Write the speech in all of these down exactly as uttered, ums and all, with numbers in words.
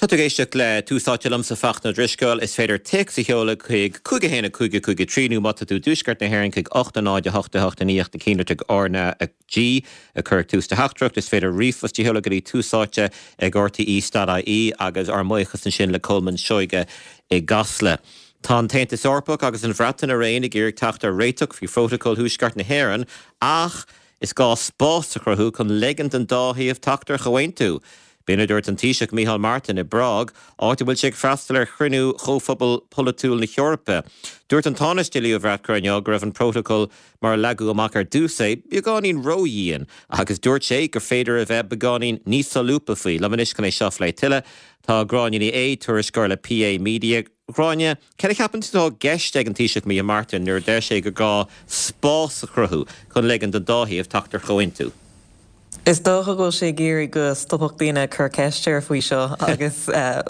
Tá tú ag éisteacht le Tús Áite liomsa Fachtna Ó Drisceoil is féidir téacs a sheoladh chuig cúig a haon a cúig a cúig a trí nó má tá tú i dtuaisceart na hÉireann chuig ocht a náid a hocht a hocht a naoi na cinn R na G a chur tús do theachtaireacht is féidir ríomhphost a sheoladh go dtí tús áite ag RTE dot IE agus ár mbuíochas ansin le Colman Seoige i gCasla. Tá an tAontas Eorpach agus an Bhreatain araon ag iarraidh teacht ar réiteach faoi phrótacal Thuaisceart na hÉireann ach is gá spás a chruthú chun ligean don dá thaobh teacht ar chomhaontú. B'in a dúirt an Taoiseach Micheál Martin i bPrág, áit a bhfuil sé ag freastal ar chruinniú Chomhphobal Polaitiúil na hEorpa. Dúirt an Tánaiste Leo Varadkar inniu go raibh an prótacal mar a leagadh amach ar dtús é beagáinín ródhian agus dúirt sé gur féidir a bheith beagáinín níos solúbtha faoi. Liom anois chun é seo a phlé tuilleadh tá Gráinne Ní Aodha tuairisceoir le PA Media. Gráinne, cad a cheapann tú atá i gceist ag an Taoiseach Micheál Martin nuair a deir sé gur gá spás a chruthú chun ligean don dá thaobh teacht ar chomhaontú. Is dócha go bhfuil sé ag iarraidh go stopfadh daoine cur ceist air faoi seo agus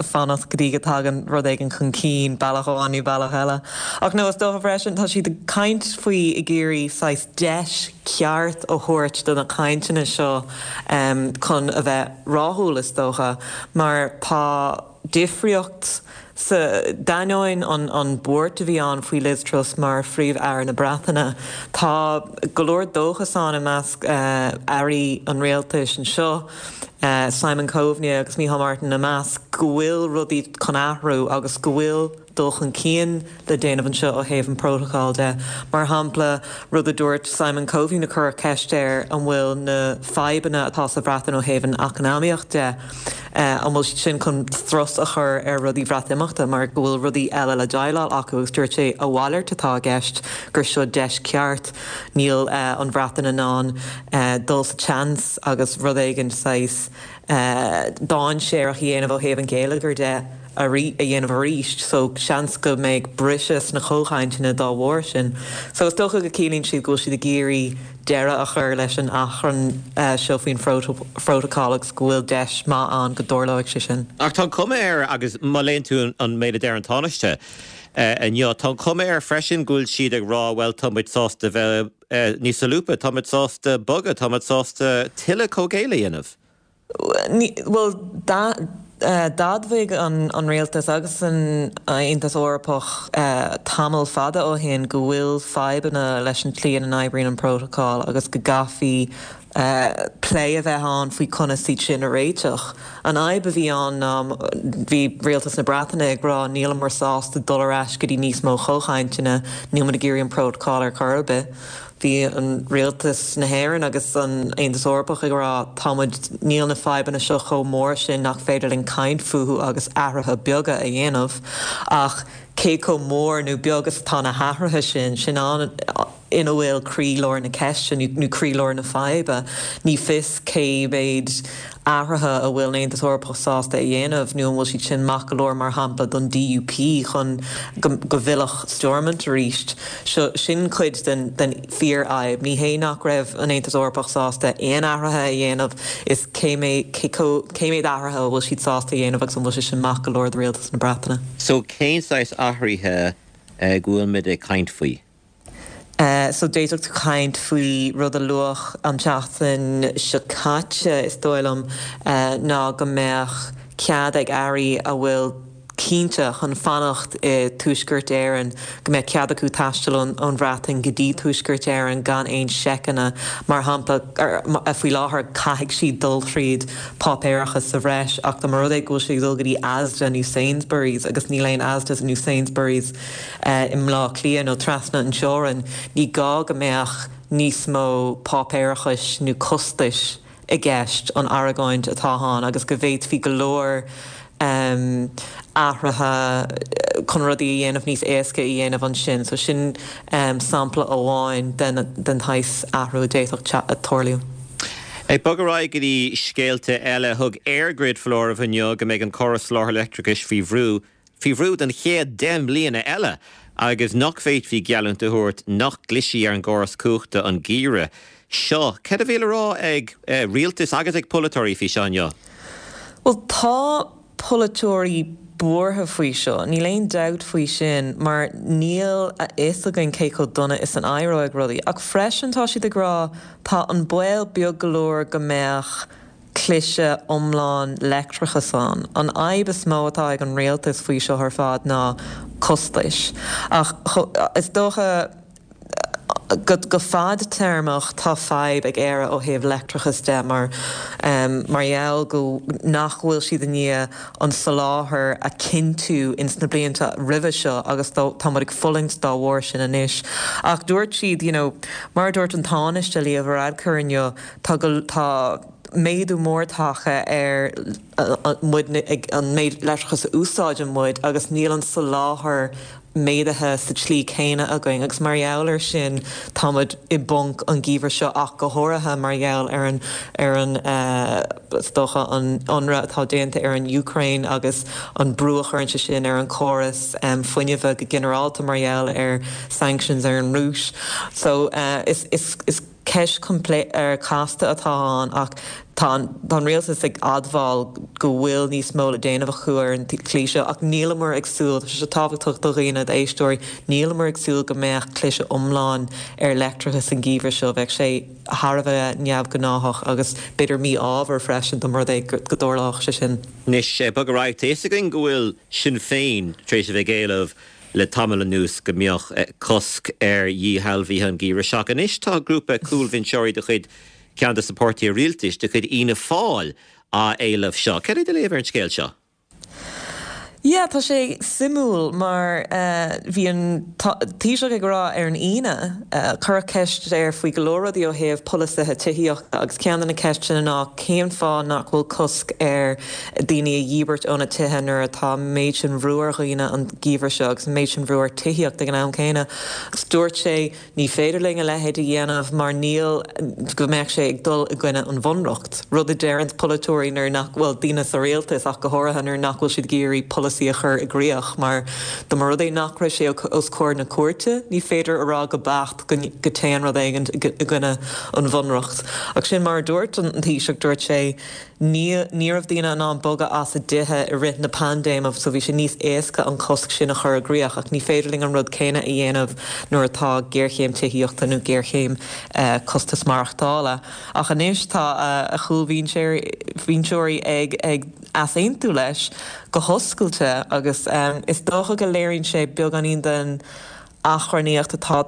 fanacht go dtí go dtagann rud éigin chun cinn bealach amháin nó bealach eile. Ach nó is dócha freisin tá siad ag caint faoi ag iarraidh saghas deis ceart a thabhairt do na cainteanna seo chun a bheith rathúil is dócha mar tá difríocht sa d'ainneoin an an buairt a bhí ann faoi Liz Truss mar phríomh-aire na Breataine. Tá go leor dóchas ann i measc airí an rialtais anseo, Simon Coveney agus Micheál Martin ina measc, go bhfuil rudaí chun athrú agus go bhfuil dul chun cinn le déanamh anseo ó thaobh an prótacal de. Mar shampla, rud a dúirt Simon Coveney nuair a cuireadh ceist air an bhfuil na fadhbanna atá sa Bhreatain ó thaobh an eacnamaíocht de, an bhfuil siad sin chun strus a chur ar rudaí Bhreatimeachta mar go bhfuil rudaí eile le déileáil acu agus dúirt sé a mhalairt atá i gceist gur seo deis ceart níl an Bhreatain in ann dul sa tseans agus rud éigin saghas dainséarach a dhéanamh ó thaobh an gheilleagair de a dhéanamh arís so seans go mbeidh briseadh sna comhchainteanna dá bharr sin. So is dócha go ciallaíonn siad go bhfuil siad ag iarraidh deireadh a chur leis an achrann seo faoin phrótacal agus go bhfuil deis maith ann go dtarlóidh sé sin. Ach tá an cuma air agus má léann tú an méid a deir an Tánaiste inniu, tá an cuma air freisin go bhfuil siad ag rá bhuel tá muid sásta bheith níos solúbtha, tá muid sásta bogadh, tá muid sásta tuilleadh comhghéilleadh a dhéanamh. Bhuel, d'admhaigh an rialtas agus an Aontas Eorpach tamall fada ó shin go bhfuil fadhbanna leis an tslí ina n-oibríonn an prótacal agus go gcaithfí plé a bheith ann faoi conas iad sin a réiteach. An fhadhb a bhí ann ná bhí rialtas na Breataine ag rá níleamar sásta dul ar ais go dtí níos mó comhchainteanna, níl muid ag iarraidh an prótacal ar chor ar bith. Bhí an rialtas na hÉireann agus an Aontas Eorpach ag rá tá muid níl na fadhbanna seo chomh mór sin nach féidir linn caint fúthu agus athruithe beaga a dhéanamh ach cé chomh mór nó beag is atá na hathruithe sin sin an ina bhfuil croílár na ceiste nó croílár na faidhbe. Ní fios cé mhéad athruithe a bhfuil an Aontas Eorpach sásta a dhéanamh nó an bhfuil siad sin maith go leor mar shampla don DUP chun go bhfillfeadh Stormont arís. Seo sin cuid den den fíorfhadhb. Ní hé nach raibh an Aontas Eorpach sásta aon athruithe a dhéanamh is cé mhéad cé mhéad athruithe a bhfuil siad sásta a dhéanamh agus an bhfuil sé sin maith go leor do rialtas na Breataine. So cén saghas athruithe go bhfuil muid ag caint faoi? So d'fhéadfadh tú caint faoi rud a luadh an tseachtain seo caite is dóigh liom ná go mbeadh cead ag airí a bhfuil cinnte chun fanacht i Tuaisceart Éireann go mbeadh cead acu taisteal ón Bhreatain go dtí Tuaisceart Éireann gan aon seiceanna mar shampla faoi láthair caithfidh siad dul tríd páipéarachas sa bhreis ach dá mba rud é go bhfuil siad ag dul go dtí Asda nó Sainsbury's agus níl aon Asda nó Sainsbury's i mBleá Cliath nó trasna an teorainn, ní gá go mbeadh níos mó páipéarachais nó costais i gceist an argóint atá ann agus go bhféadfaí go leor athruithe chun rudaí a dhéanamh níos éasca a dhéanamh ansin. So sin sampla amháin den den tsaghas athrú a d'fhéadfadh tarlú. Ag bogadh ar aghaidh go dtí scéalta eile, thug EirGrid foláireamh inniu go mbeidh an córas soláthair leictreachais faoi bhrú faoi bhrú don chéad deich mbliana eile agus nach bhféadfaí geallúint a thabhairt nach gclisfidh ar an gcóras cumhachta an geimhreadh seo. Cad a bhí le rá ag rialtas agus ag polaiteoirí faoi seo inniu? Bhuel, tá polaiteoirí buartha faoi seo, níl aon dabht faoi sin, mar níl a fhios againn cé chomh dona is an éireoidh rudaí. Ach freisin tá siad ag rá tá an baol beag go leor go mbeadh cliseadh iomlán leictreachais ann. An fhadhb is mó atá ag an rialtas faoi seo ar fad ná costais. Ach is dócha go go fadtéarmach tá fadhb ag Éire ó thaobh leictreachas de mar um, mar gheall go nach bhfuil siad i ndiaidh an soláthar a chinntiú ins na blianta roimhe seo agus tá muid ag fulaingt dá bharr sin anois. Ach dúirt siad you know, mar dúirt an Tánaiste Leo Varadkar inniu tá tá méadú mór tagtha ar muid an méid leictreachas a úsáideann muid agus níl an soláthar méadaithe sa tslí céanna againn agus mar gheall air sin táimid i bponc an geimhreadh seo ach go háirithe mar gheall ar an ar an is dócha an ionradh atá déanta ar an Úcráin agus an brú a chuireann sé sin ar an córas fuinnimh go ginearálta mar gheall ar sanctions ar an Rúis. So uh, is is is ceist ar casta atá ann ach tá an rialtas ag admháil go bhfuil níos mó le déanamh acu ar an chliseadh ach nílamar ag súil sé tábhachtach do dhaoine éisteoirí nílamar ag súil go mbeadh cliseadh iomlán ar leictreachas an geimhreadh seo bheadh sé thar a bheith neamhghnách agus b'fhéidir mí-ádhúil freisin dá mba rud é go dtarlódh sé sin. Anois bog ar aghaidh tá a fhios againn go bhfuil Sinn Féin tar éis a bheith ag éileamh le tamall anuas go mbeadh cosc ar dhíshealbhuithe an geimhreadh seo. Anois tá grúpa cúlbhinseoirí de chuid ceann de na páirtithe rialtais de chuid Fhianna Fáil á éileamh seo. Cad é do léamh ar an scéal seo? Yeah, tá sé suimiúil mar uh, bhí an Taoiseach ag rá ar an Aoine uh, cuireadh ceist air faoi go leor rudaí ó thaobh polasaithe tithíochta agus ceann de na ceisteanna ná cén fáth nach bhfuil cosc ar daoine a dhíbirt óna dtithe nuair atá méid sin brú ar dhaoine an geimhreadh seo agus méid sin brú ar tithíocht ag an am céanna. Agus dúirt sé ní féidir linn a leithéid a dhéanamh mar níl go mbeadh sé ag dul i gcoinne an bhunreacht. Rud a deireann polaiteoirí nuair nach bhfuil daoine sa rialtas ach go háirithe nuair nach bhfuil siad ag iarraidh polasaí a chur i gcrích mar dá mba rud é nach raibh sé os comhair na cúirte, ní féidir a rá go beacht go dtéann rud éigin i gcoinne an bhunreacht. Ach sin mar dúirt an Taoiseach dúirt sé ní raibh daoine in ann bogadh as a dtithe i rith na paindéime so bhí sé níos éasca an cosc sin a chur i gcrích ach ní féidir linn an rud céanna a dhéanamh nuair atá géarchéim tithíochta nó géarchéim uh, costas maireachtála. Ach anois tá uh, a chúlbhinseoirí ag ag easaontú leis go hoscailte agus um, is dócha go léiríonn sé beagáinín den achrannaíocht atá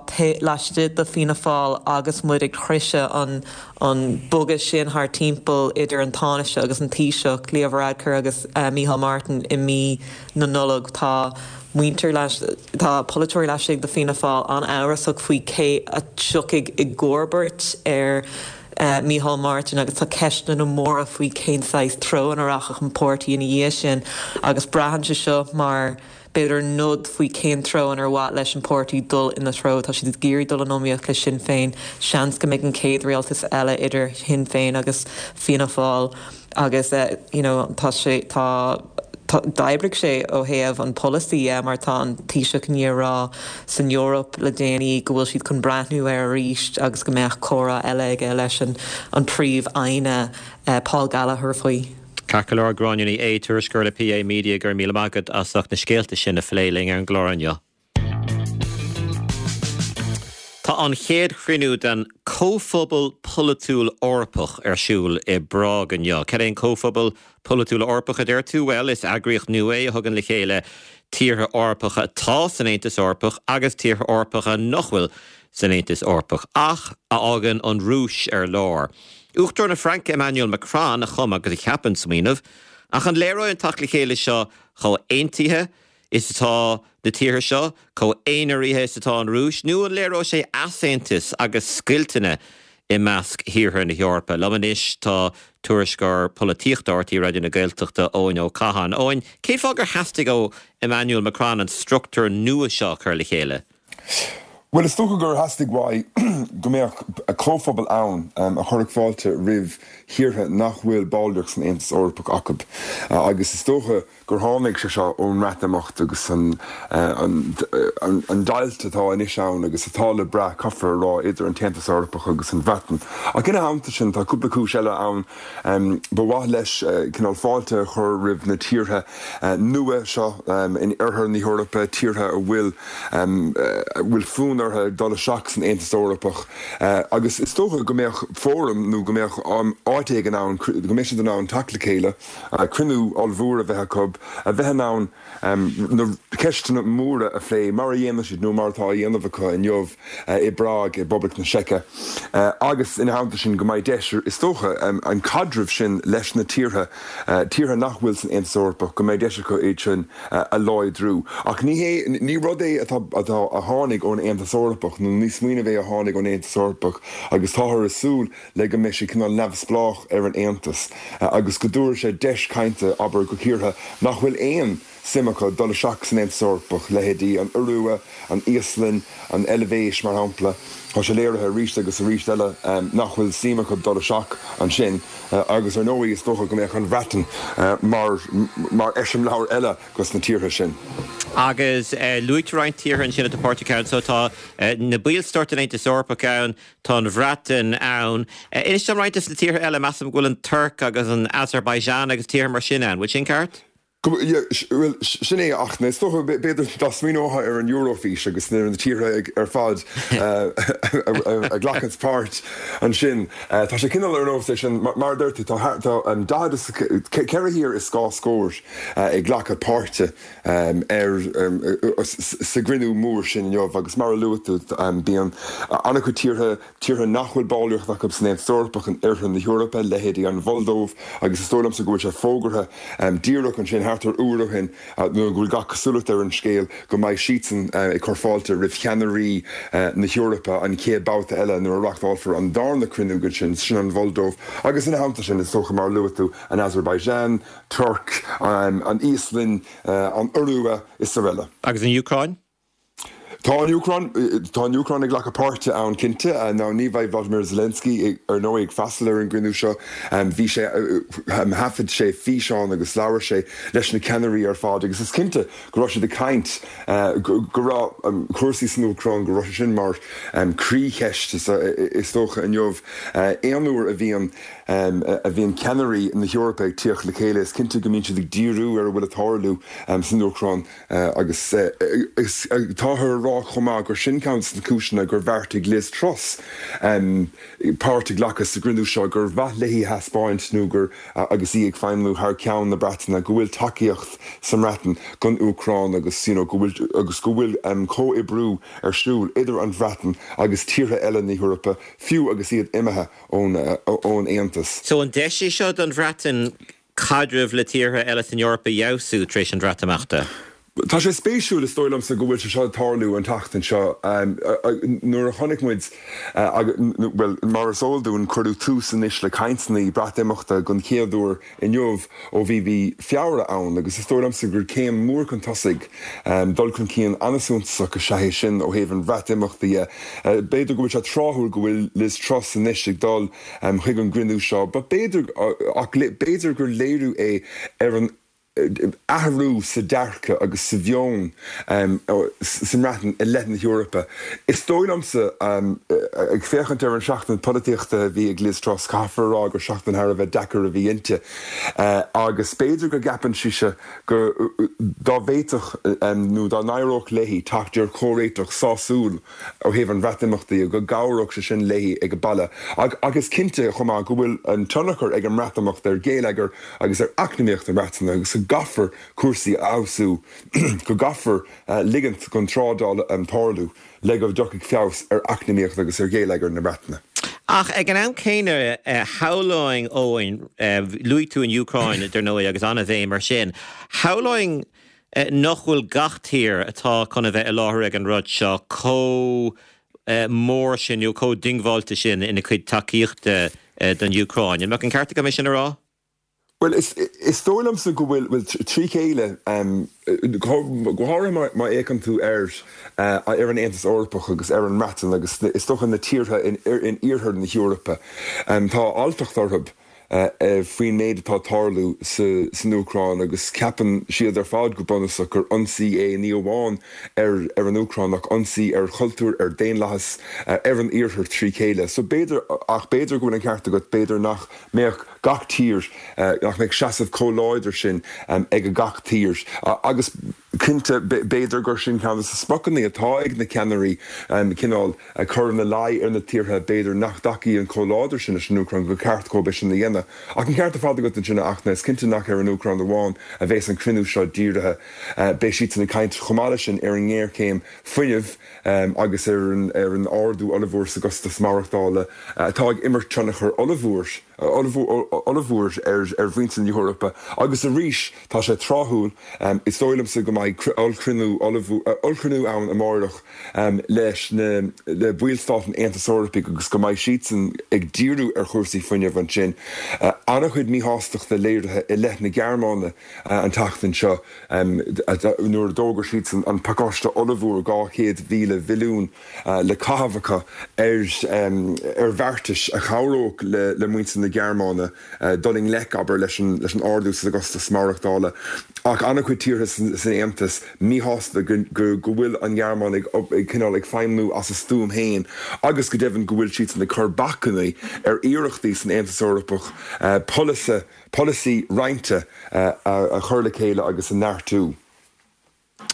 laistigh de Fianna Fáil agus muid ag sroicheadh an an bogadh sin thar timpeall idir an Tánaiste agus an Taoiseach Leo Varadkar agus uh, Micheál Martin i mí na Nollag tá muintir tá polaiteoirí laistigh de Fianna Fáil an-amhrasach faoi cé a thiocfaidh i gcomharbacht ar uh, Micheál Martin agus tá ceisteanna móra faoi cén saghas treo a rachaidh an páirtí ina dhiaidh sin agus braitheann sé seo mar b'fhéidir nod faoi cén treo ar mhaith leis an páirtí dul ina treo tá siad ag iarraidh dul in iomaíocht le Sinn Féin seans go mbeidh an chéad rialtas eile idir Shinn Féin agus Fianna Fáil agus uh, you know, tá sé tá d'oibrigh sé ó thaobh an polasaí uh, mar tá an Taoiseach ag rá san Eoraip le déanaí go bhfuil siad chun breathnú air arís agus go mbeadh comhrá eile aige leis an an príomh-aire uh, Paul Gallagher faoi. Ceart go leor Gráinne Ní Aodha tuairisceoir le PA Media go raibh míle maith agat as ucht na scéalta sin a phlé linn ar an gclár inniu. Tá an chéad chruinniú den Comhphobal Polaitiúil Eorpach ar siúl i bPrág inniu. Cad é an Comhphobal Polaitiúil Eorpach a deir tú bhuel is eagraíocht nua é a thugann le chéile tíortha Eorpacha atá san Aontas Eorpach agus tíortha Eorpacha nach bhfuil san Aontas Eorpach ach a fhágann an Rúis ar lár. Uachtarán na Fraince Emmanuel Macron a chum agus a cheap an smaoineamh, ach an léireoidh an teacht le chéile seo chomh haontaithe is atá na tíortha seo, chomh haonaraithe is atá an Rúis, nó an léireoidh sé easaontas agus scoilteanna i measc thíortha na hEorpa. Liom anois tá tuairisceoir polaitíochta R T Raidió na Gaeltachta Eoin Ó Catháin. Eoin, cén fáth gur theastaigh ó Emmanuel Macron an struchtúr nua seo a chur le chéile? Bhuel, is dócha gur theastaigh uaidh go mbeadh comhphobal ann a chuirfeadh fáilte roimh thíortha nach bhfuil ballraíocht san Aontas Eorpach acu agus is dócha gur tháinig sé seo ón mBreatimeacht agus an deighilt atá anois ann agus atá le brath, caithfear a rá, idir an tAontas Eorpach agus an Bhreatain. Ach ina theannta sin, tá cúpla cúis eile ann. Ba mhaith leis cineál fáilte a chur roimh na tíortha nua seo in oirthear na hEorpa, tíortha a bhfuil a bhfuil fonn orthu dul isteach san Aontas Eorpach agus is dócha go mbeadh fóram nó go mbeadh áit éigin ann, go mbeidh siad in ann teacht le chéile, cruinniú ollmhór a bheith acu, a bheith in ann na ceisteanna móra a phlé mar a dhéanann siad nó mar atá á dhéanamh acu inniu i bPrág i bPoblacht na Seice agus ina theannta sin go mbeidh deis, is dócha, an caidreamh sin leis na tíortha, tíortha nach bhfuil san Aontas Eorpach, go mbeidh deis acu iad sin a láidriú. Ach ní hé, ní rud é atá, atá, a tháinig ón Aontas Eorpach nó ní smaoineamh é a tháinig ón Aontas Eorpach agus táthar ag súil le go mbeidh sé cineál neamhspleách ar an Aontas agus go dtabharfaidh sé deis cainte, abair, do thíortha nach bhfuil aon suim acu dul isteach san Aontas Eorpach, leithéidí an Iorua, an Íoslainn, an Eilvéis, mar shampla. Tá sé léirithe arís agus arís eile nach bhfuil suim acu dul isteach ansin agus, ar ndóigh, is dócha go mbeadh an Bhreatain mar mar eiseamláir eile dos na tíortha sin. Agus luaigh tú roinnt tíortha ansin atá páirteach ann. So tá na ballstáit den Aontas Eorpach ann, tá an Bhreatain ann. Inis dom roinnt des na tíortha eile, measaim go bhfuil an Tuirc agus an Azerbaijan agus tíortha mar sin ann, bhfuil sin ceart? Bhuel, sin é, ach is dócha, b'fhéidir, dá smaoineofá ar an Eurofís agus ar na tíortha ar fad a ghlacanns páirt ansin, tá sé cineál ar nós é sin, mar a deir tú, tá daichead is ceithre thír is dhá scór ag glacadh páirte ar sa gcruinniú mór sin inniu agus mar a luaigh tú, bíonn an-chuid tíortha, tíortha nach bhfuil ballraíocht acu san Aontas Eorpach in oirthear na hEorpa, leithéidí an Mholdóiv, agus is dóigh liomsa go bhfuil sé fógartha díreach ansin thart ar uair ó shin, nó go bhfuil gach cosúlacht ar an scéal go mbeidh siadsan ag cur fáilte roimh cheannairí na hEorpa an chéad babhta eile nuair a reáchtálfar an darna cruinniú den sin, sin an Mholdóiv, agus ina theannta sin, is dócha, mar a luaigh tú, an Azerbaijan, Tuirc, an Íoslainn, an Iorua is araile. Agus an Úcráin? Tá an Úcráin, tá an Úcráin ag glacadh páirte ann cinnte. Now ní bheidh Vladimir Zelensky ar ndóigh ag freastal ar an gcruinniú seo. Bhí sé, thaifead sé físeán agus labhair sé leis na ceannairí ar fad agus is cinnte go raibh siad ag caint go raibh cúrsaí san Úcráin, go raibh sé sin mar croícheist is dócha inniu. Aon uair a bhíonn a bhíonn ceannairí na hEorpa ag tíocht le chéile is cinnte go mbíonn siad ag díriú ar a bhfuil ag tarlú san Úcráin. Agus táthar a rá chomh maith gur sin ceann de na cúiseanna gur bheartaigh Liz Truss páirt a ghlacadh sa gcruinniú seo, gur mhaith léi a thaispeáint nó gur, agus í ag feidhmiú thar ceann na Breataine, go bhfuil tacaíocht sa mBreatain don Úcráin agus you know go bhfuil agus go bhfuil comhoibriú ar siúl idir an Bhreatain agus tíortha eile na hEorpa, fiú agus iad imithe ón ón Aontas. So an deis é seo don Bhreatain caidreamh le tíortha eile san Eoraip a fheabhsú tar éis an Bhreatimeachta? Tá sé spéisiúil, is dóigh liomsa, go bhfuil sé seo ag tarlú an tseachtain seo. Nuair a chonaic muid, bhuel, mar is eol dúinn, cuireadh tús anois le cainteanna Breatimeachta den chéad uair inniu ó bhí mhí Feabhra ann agus is dóigh liomsa gur céim mhór chun tosaigh, dul chun cinn an-suntasach is ea é sin ó thaobh an Bhreatimeachta dhe. B'fhéidir go bhfuil sé tráthúil go bhfuil Liz Truss anois ag dul chuig an gcruinniú seo, but b'fhéidir, ach b'fhéidir gur léiriú é ar an athrú sa dearcadh agus sa mheon sa mBreatain i leith na hEorpa. Is dóigh liomsa, ag féachaint ar an seachtain polaitíochta a bhí ag Liz Truss, caithfear a rá gur seachtain thar a bheith deacair a bhí inti agus b'fhéidir go gceapann sise go dá bhféadfadh nó dá n-éireodh léi teacht ar chomhréiteach sásúil ó thaobh an Bhreatimeachta de, go gcabhródh sé sin léi ag baile. Ach is cinnte chomh maith go bhfuil an tionchar ag an mBreatimeacht ar gheilleagar agus ar eacnamaíocht na Breataine agus go gcaithfear cúrsaí a fheabhsú, go gcaithfear ligint don trádáil tarlú le go dtiocfaidh feabhas ar eacnamaíocht agus ar gheilleagar na Breataine. Ach ag an am céanna, shamhlóinn, Eoin, luaigh tú an Úcráin, dar ndóigh, agus an-bhéim air sin, shamhlóinn nach bhfuil gach tír atá chun a bheith i láthair ag an rud seo chomh mór sin nó chomh diongbháilte sin ina cuid tacaíochta don Úcráin. An mbeadh an ceart agam é sin a rá? Bhuel, is dóigh liomsa go bhfuil, bhuel, trí chéile, go háirithe má fhéachann tú ar ar an Aontas Eorpach agus ar an mBreatain agus is dócha na tíortha in iarthar na hEorpa, tá alltacht orthu faoin méid atá ag tarlú san Úcráin agus ceapann siad ar fad go bunúsach gur ionsaí é ní amháin ar ar an Úcráin ach ionsaí ar chultúr, ar daonlathas, ar an iarthar trí chéile. So b'fhéidir, ach b'fhéidir go bhfuil an ceart agat, b'fhéidir nach mbeadh gach tír, nach mbeadh seasamh chomh láidir sin ag gach tír. Agus cinnte, b'fhéidir gur sin ceann de na spriocanna atá ag na ceannairí, cineál cur ina luí ar na tíortha b'fhéidir nach dtacaíonn chomh láidir sin leis an Úcráin gur ceart dóibh é sin a dhéanamh. Ach an ceart ar fad agat ansin, a Fhachtna, is cinnte nach ar an Úcráin amháin a bheas an cruinniú seo dírithe. Beidh siadsan ag caint chomh maith leis sin ar an ngéarchéim fuinnimh agus ar an ardú ollmhór sa gcostas maireachtála atá ag imirt tionchar ollmhór ollmhór ar mhuintir na hEorpa. Agus arís, tá sé tráthúil, is dóigh liomsa go mbeidh ollchruinniú ollchruinniú ann amárach leis na le ballstáit an Aontais Eorpaigh agus go mbeidh siadsan ag díriú ar chúrsaí fuinnimh ansin. An-chuid míshástachta léirithe i leith na Gearmáine an tseachtain seo nuair a d'fhógair siadsan an pacáiste ollmhór dhá chéad mhíle bhilliún le caitheamh acu ar ar bheartais a chabhródh le le muintir na Gearmáine dul i ngleic, abair, leis an leis an ardú sa gcostas maireachtála. Ach an-chuid tíortha san Aontas míshásta go go go bhfuil an Ghearmáin ag ag cineál ag feidhmiú as a stuaim féin agus go deimhin go bhfuil siadsan ag cur bacainní ar iarrachtaí san Aontas Eorpach polasaí polasaí roinnte a chur le chéile agus a neartú.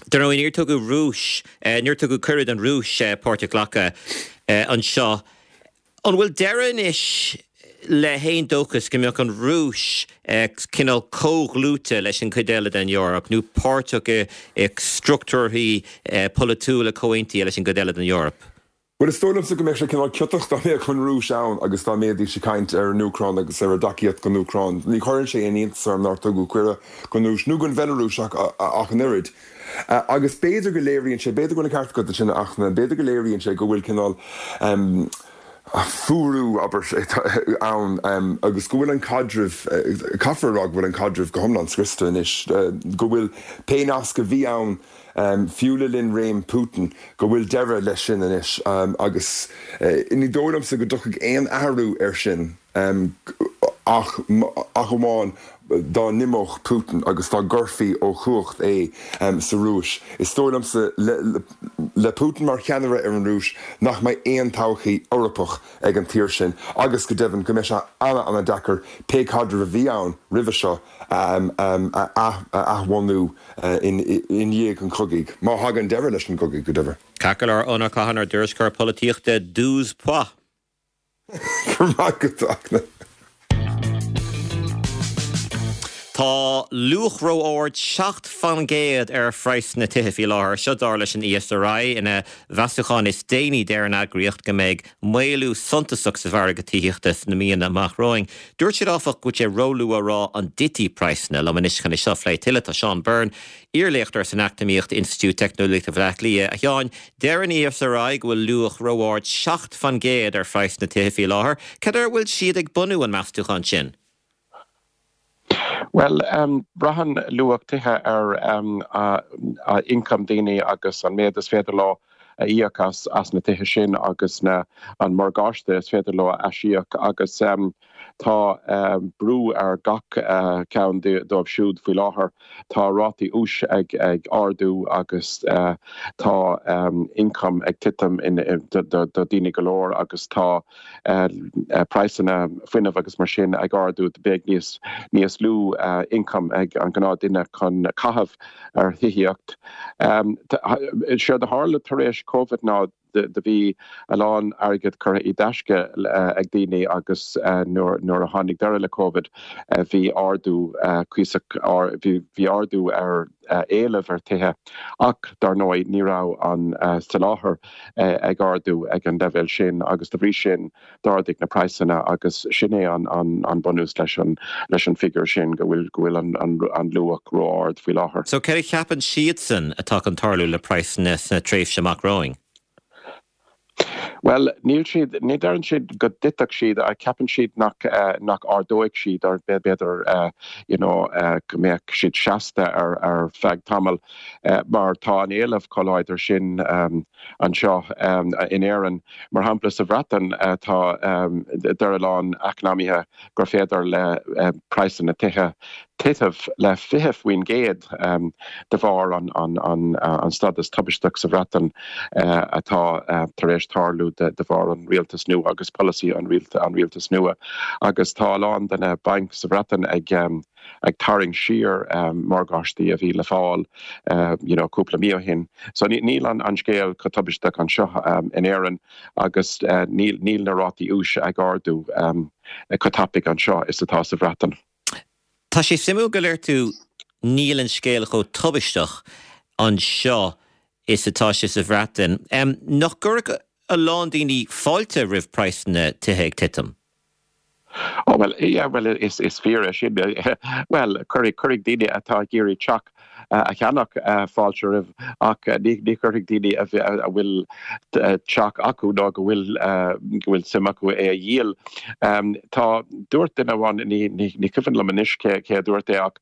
Dar ndóigh, níor tugadh Rúis, níor tugadh cuireadh don Rúis páirt a ghlacadh anseo. An bhfuil deireadh anois le haon dóchas go mbeadh an Rúis cineál comhdhlúite leis an gcuid eile den Eoraip nó páirteach i struchtúrthaí polaitiúla comhaontaithe leis an gcuid eile den Eoraip? Bhuel, is dóigh liomsa go mbeadh sé cineál ciotach dá mbeadh an Rúis ann agus dá mbeidís ag caint ar an Úcráin agus ar a dtacaíocht don Úcráin. Ní chuireann sé aon iontas orm nár tugadh cuireadh don Rúis nó don Bhealarúis ach ach an oiread. Agus b'fhéidir go léiríonn sé, b'fhéidir go bhfuil an ceart agat ansin, a Fhachtna, b'fhéidir go léiríonn sé go bhfuil cineál fuarú, abair, ann agus go bhfuil an caidreamh, caithfear a rá go bhfuil an caidreamh go hiomlán scriosta anois, go bhfuil pé nasc a bhí ann, fiú le linn réim Putin, go bhfuil deireadh leis sin anois agus ní dóigh liomsa go dtiocfaidh aon athrú air sin ach ach amháin dá n-imeodh Putin agus dá gcuirfí ó chumhacht é sa Rúis. Is dóigh liomsa le Putin mar cheannaire ar an Rúis nach mbeidh aon todhchaí Eorpach ag an tír sin agus go deimhin go mbeidh sé an-an-deacair pé caidreamh a bhí ann roimhe seo a athbhunú i ndiaidh an chogaidh, má thagann deireadh leis an gcogadh, go deimhin. Ceart go leor, Eoin Ó Catháin, ár dtuairisceoir polaitíochta, douze points. Go raibh maith agat, a Fhachtna. Tá luach ró-ard seacht faoin gcéad ar phraghsanna tithe faoi láthair. Seo dar leis an ESRI. Ina mheasúchán is déanaí deir an eagraíocht go mbeidh maolú suntasach sa mhargadh tithíochta sna míonna amach romhainn. Dúirt siad áfach go bhfuil sé róluath a rá an dtitfidh praghsanna. Liom anois chun é seo a phlé tuilleadh tá Seán Byrne, iarléachtóir san Eacnamaíocht, Institiúid Teicneolaíochta Bhaile Átha Cliath. A Sheáin, deir an ESRI go bhfuil luach ró-ard seacht faoin gcéad ar phraghsanna tithe faoi láthair. Cad air a bhfuil siad ag bunú an meastúchán sin? Bhuel, braitheann luach tithe ar ioncam daoine agus an méid is féidir leo a íoc as as na tithe sin agus na an morgáiste is féidir leo a aisíoc agus tá brú ar gach ceann dóibh siúd faoi láthair. Tá rátaí úis ag ag ardú agus tá ioncam ag titim do daoine go leor agus tá praghsanna fuinnimh agus mar sin ag ardú, beidh níos níos lú ioncam ag an gnáthduine chun caitheamh ar thithíocht. Séard a tharla tar éis Covid ná do bhí a lán airgead curtha i dtaisce ag daoine agus nuair nuair a tháinig deireadh le Covid bhí ardú cuíosach bhí ardú ar éileamh ar tithe ach dar ndóigh ní raibh an soláthar ag ardú ag an leibhéal sin agus dá bhrí sin d'ardaigh na praghsanna agus sin é an bunús leis an leis an figiúr sin go bhfuil go bhfuil an an luach ró-ard faoi láthair. So céard a cheapann siadsan atá chun tarlú le praghsanna sna tréimhse amach romhainn? Bhuel, níl siad, ní deireann siad go dtitfeadh siad, ceapann siad nach nach ardóidh siad or b'fhéidir you know go mbeadh siad seasta ar ar feadh tamaill mar tá an éileamh chomh láidir sin anseo in Éirinn. Mar shampla sa Bhreatain tá deir a lán eacnamaithe gur féidir le praghsanna tithe titim le fiche faoin gcéad de bharr an an an an stádas tubaisteach sa Bhreatain atá tar éis tarlú de de bharr an rialtas nua agus polasaí an an rialtas nua agus tá a lán de na bainc sa Bhreatain ag ag tarraingt siar morgáistí a bhí le fáil you know cúpla mí ó shin. So níl an an scéal chomh tubaisteach anseo in Éirinn agus níl níl na rátaí úis ag ardú chomh tapaidh anseo is atá sa Bhreatain. Tá sé suimiúil go ndeir tú níl an scéal chomh tubaisteach anseo is atá sé sa Bhreatain. Um, nach gcuirfeadh a lán daoine fáilte roimh praghsanna tithe ag titim? Oh well yeah, well is is fíor sin well cuirfidh cuirfidh daoine atá ag iarraidh teach uh, a cheannach uh, fáilte roimh ach uh, ní ní chuirfidh daoine a a bhfuil teach acu nó go bhfuil go bhfuil suim acu é a dhíol. Um, tá dúirt duine amháin ní ní ní cuimhin liom anois cé cé dúirt é ach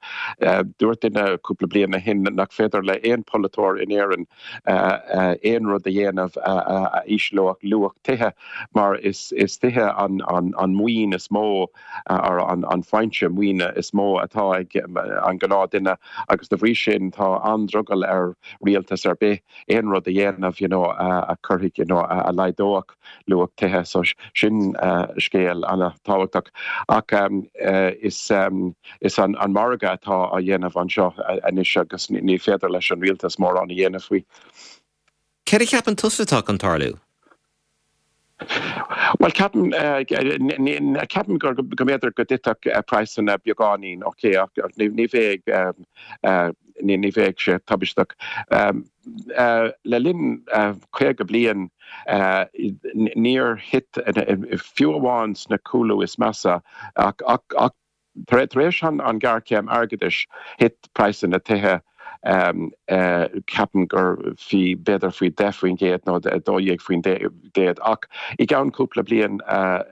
dúirt duine cúpla bliain ó shin nach féidir le aon pholaiteoir in Éirinn aon rud a dhéanamh a ísleodh luach tithe mar is is tithe an an an maoin is mó ar an an foinse maoine is mó atá ag an gnáthdhuine agus de bhrí sin tá an-drogall ar rialtas ar bith aon rud a dhéanamh you know, a chuirfidh you know, a laghdódh luach tithe so sin uh, scéal an-tábhachtach ach um, uh, is um, is an, an margadh atá á dhéanamh anseo anois agus ní féidir leis an rialtas mórán a dhéanamh faoi. Céard a cheapann tusa atá chun tarlú? Well ceapaim ceapaim gur go mb'fhéidir go dtitfeadh praghsanna beagáinín ok ach ní bheidh ní bheidh sé tubaisteach. Le linn caoga bliain níor thit fiú amháin sna cúlú is measa ach ach tar éis an an ghéarchéim airgeadais thit praghsanna tithe um, uh, ceapaim gur faoi b'fhéidir faoi deich faoin gcéad nó dó dhéag faoin gcéad ach i gceann cúpla bliain uh,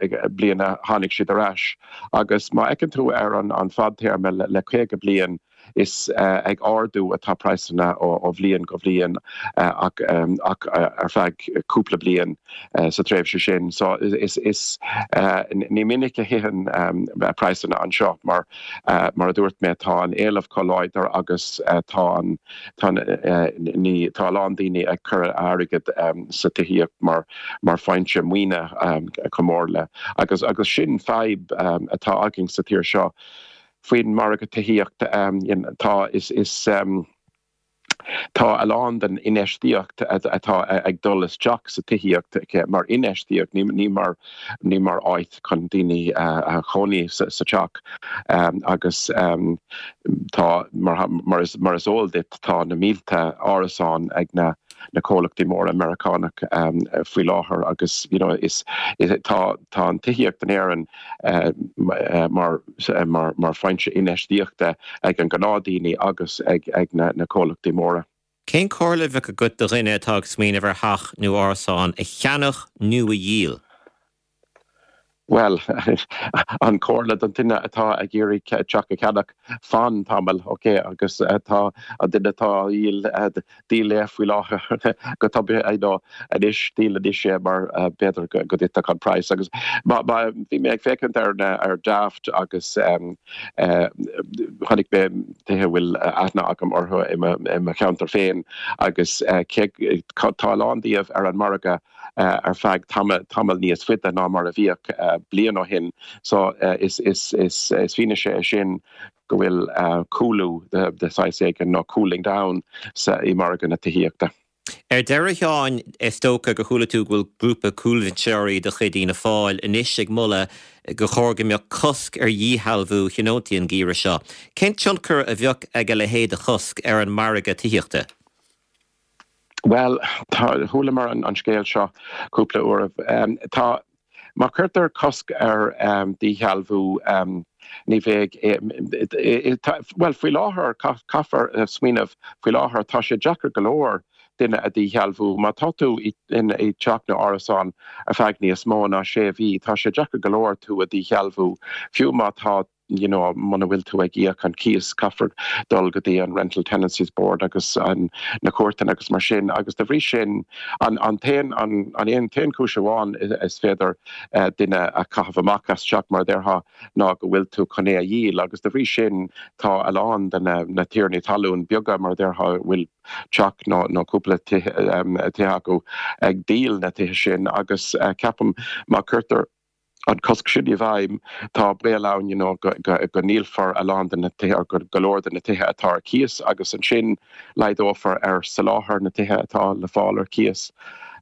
bliana tháinig siad ar ais agus má fhéachann tú ar an an fadtéarma le, le caoga bliain is uh, ag ardú atá praghsanna ó, ó bhliain go bhliain uh, ach, um, ach uh, ar feadh cúpla bliain uh, sa tréimhse sin so is, is uh, ní minic a thiteann um, praghsanna anseo mar uh, mar a dúirt mé tá an éileamh chomh láidir agus uh, tá an tá uh, ní tá lán daoine ag cur airgead um, sa tithíocht mar mar foinse maoine um, chomh mór le agus agus sin fadhb um, atá againn sa tír seo faoin margadh tithíochta um, tá is is um, Tá a lán den infheistíocht atá ag dul isteach sa tithíocht mar infheistíocht ní ní mar ní mar áit chun daoine a chónaí sa teach um, agus um, tá mar, mar, is, mar is eol duit tá na mílte árasán ag na na comhlachtaí móra Meiriceánach um, faoi láthair agus you know, is, is tá tá an tithíocht in Éirinn uh, mar, mar, mar foinse infheistíochta ag an gnáthdhaoine agus ag, ag na, na comhlachtaí móra. Cén chomhairle a bheadh agat do dhuine atá ag smaoineamh ar theach nó árasán a cheannach nó a dhíol? Well an chomhairle don duine atá ag iarraidh teach a cheannach fan tamall ok agus atá an duine atá á dhíol díol é faoi láthair go tapaidh anois díol anois é mar b'fhéidir go dtitfeadh an praghas agus bhí mé ag féachaint ar ar Daft agus chonaic mé tithe bhfuil aithne agam orthu i mo cheantar féin agus tá a lán díobh ar an margadh ar feadh tamall níos faide ná mar a bhíodh bliain ó shin so is is is is fianaise é sin go bhfuil cúlú de de saghas éigin nó cooling down sa i margadh na tithíochta. Ar deireadh a Sheáin is dócha gur chuala tú go bhfuil grúpa cúlbhinseoirí de chuid Fhianna Fáil anois ag moladh gur chóir go mbeadh cosc ar dhíshealbhú tionóntaí an geimhreadh seo. Cén tionchar a bheadh ag a leithéid de chosc ar an margadh tithíochta? Well chualamar an, an scéal seo cúpla uair um, tá má chuirtear cosc ar um, díshealbhú um, ní bheidh well faoi láthair caithfear smaoineamh faoi láthair tá sé deacair go leor duine a dhíshealbhú má tá tú in i teach nó árasán ar feadh níos mó ná sé mhí tá sé deacair go leor tú a dhíshealbhú fiú má tá you know, muna bhfuil tú ag íoc an cíos caithfear dul go dtí an Rental Tenancies Board agus an na cúirteanna agus mar sin agus de bhrí sin an an t-aon an an aon t-aon chúis amháin is féidir uh, duine a chaitheamh amach as teach mar a déarfá ná go bhfuil tú chun é a dhíol agus de bhrí sin tá a lán de na, na tiarnaí talún beaga mar a déarfá bhfuil teach nó nó cúpla tithe um, acu ag díol na tithe sin agus uh, ceapaim má chuirtear an cosc sin i bhfeidhm tá baol ann you know, go, go, go ndíolfar a lán de na tithe go, go leor de na tithe atá ar cíos agus ansin laghdófar ar soláthar na tithe atá le fáil ar cíos.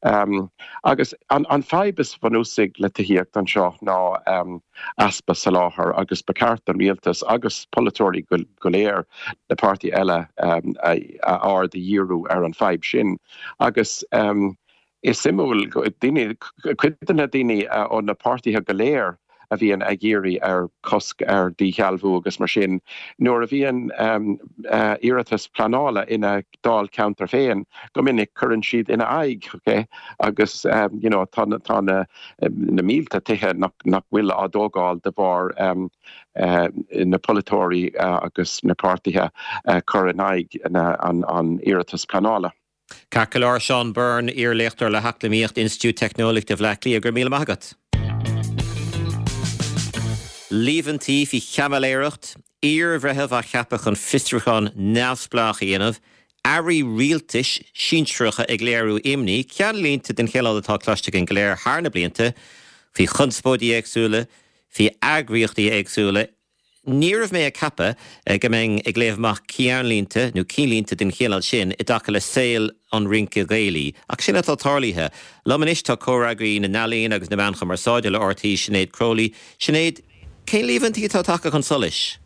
Um, agus an, an fadhb is bunúsaí le tithíocht anseo ná um, easpa soláthar agus ba cheart an rialtas agus polaiteoirí go, go léir na páirtithe eile um, a, a aird a dhíriú ar an fadhb sin. Agus um, is suimiúil daoine cuid de na daoine uh, ó na páirtithe go léir a bhíonn ag iarraidh ar cosc ar díshealbhú agus mar sin nuair a bhíonn um, uh, iarratas pleanála ina ndáilcheantar féin go minic cuireann siad ina aghaidh okay? agus um, you know, tá tá na, na mílte tithe nach, nach bhfuil á dtógáil de bharr um, uh, na polaiteoirí uh, agus na páirtithe uh, cur in aghaidh an, an iarratas pleanála. Ceart go leor Seán Byrne iar-léachtóir le heacnamaíocht Institiúid Teicneolaíochta Bhaile Átha Cliath go raibh míle maith agat. Líomhaintí faoi chaimiléireacht, iarbhreitheamh á cheapadh chun fiosrúchán neamhspleách a dhéanamh, airí rialtais sinsearacha ag léiriú imní, ceannlínte den chineál atá cloiste againn go léir thar na blianta, faoi chonspóidí éagsúla, faoi eagraíochtaí éagsúla, Ní raibh mé ag ceapadh go mbeinn ag léamh amach ceannlínte nó cinnlínte den chineál sin i dtaca le saol an rince Ghaelaigh, ach sin atá tarlaithe. Liom anois tá comhfhreagraí na n-ealaíon agus na meán cumarsáide le RTÉ Sinéad Crowley. Sinéad, cén líomhaintí atá tagtha chun solais?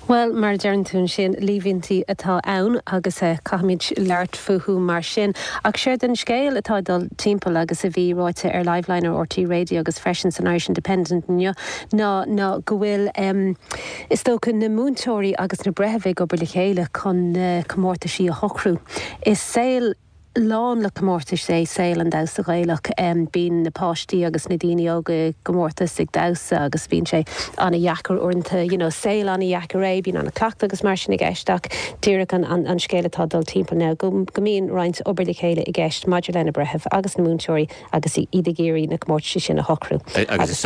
Well mar deireann tú sin líomhaintí atá ann agus eh, caithfimid labhairt fúthu mar sin. Ach séard an scéal atá dul timpeall agus a bhí ráite ar Liveline ar RTÉ Radio agus freisin san Irish Independent inniu ná ná go bhfuil um, is dócha na múinteoirí agus na breithimh ag obair le chéile chun uh, comórtaisí a shocrú. Is saol lán le comórtais é saol an damhsa Ghaelach um, bíonn na páistí agus na daoine óga i gcomórtas ag damhsa agus bíonn sé an-deacair uaireanta you know, saol an-deacair é bíonn an-chleachtadh agus mar sin i gceist ach díreach an, an, an scéal atá dul timpeall ná go, go mbíonn roinnt obair le chéile i gceist maidir lena breithimh agus na múinteoirí agus iad ag iarraidh na comórtais sin a shocrú. Agus is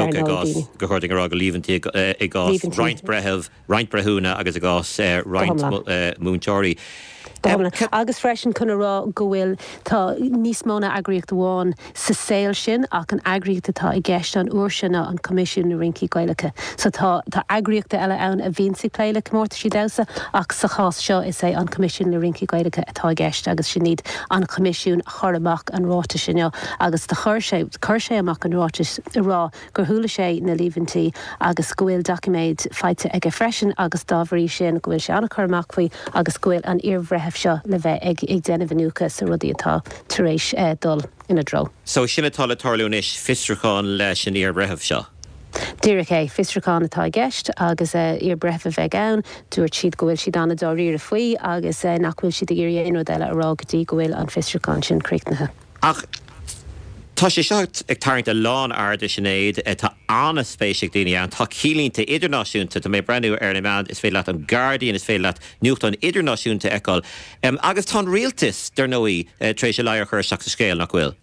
go chuir rá go líomhaintí i gcás roinnt breitheamh, roinnt breithiúna agus i gcás roinnt múinteoirí. Agus freisin chun a rá go bhfuil tá níos mó ná eagraíocht amháin sa saol sin ach an eagraíocht atá i gceist an uair seo ná an Coimisiún na Rincí Gaelacha. So tá tá eagraíochtaí eile ann a bhíonn ag plé le comórtaisí damhsa ach sa chás seo is é an Coimisiún na Rincí Gaelacha atá i gceist agus sin iad an Coimisiún a chuir amach an ráiteas inniu agus do chuir sé chuir sé amach an ráiteas ag rá gur chuala sé na líomhaintí agus go bhfuil doiciméid faighte aige freisin agus dá bhrí sin go bhfuil sé an-chur amach faoi agus go bhfuil an iarbhreitheamh seo le bheith ag ag déanamh iniúchadh sna rudaí atá tar éis eh, dul ina dtreo. So sin atá le tarlú anois fiosrúchán leis an iarbhreitheamh seo. Díreach é fiosrúchán atá i gceist agus uh, iarbhreitheamh a bheidh ann, dúirt siad go bhfuil siad an-dáiríre faoi agus uh, nach bhfuil siad ag iarraidh aon rud eile a rá go dtí go bhfuil an fiosrúchán sin críochnaithe. Ach Tá sé seo ag tarraingt a lán airde Sinéad tá an-spéis ag daoine ann tá cinnlínte idirnáisiúnta tá mé ag breathnú ar na meáin is féidir leat an Guardian is féidir leat nuachtáin idirnáisiúnta a fheiceáil. Um, agus tá rialtas dar ndóigh uh, tar éis a ladhar a chur isteach sa scéal nach bhfuil.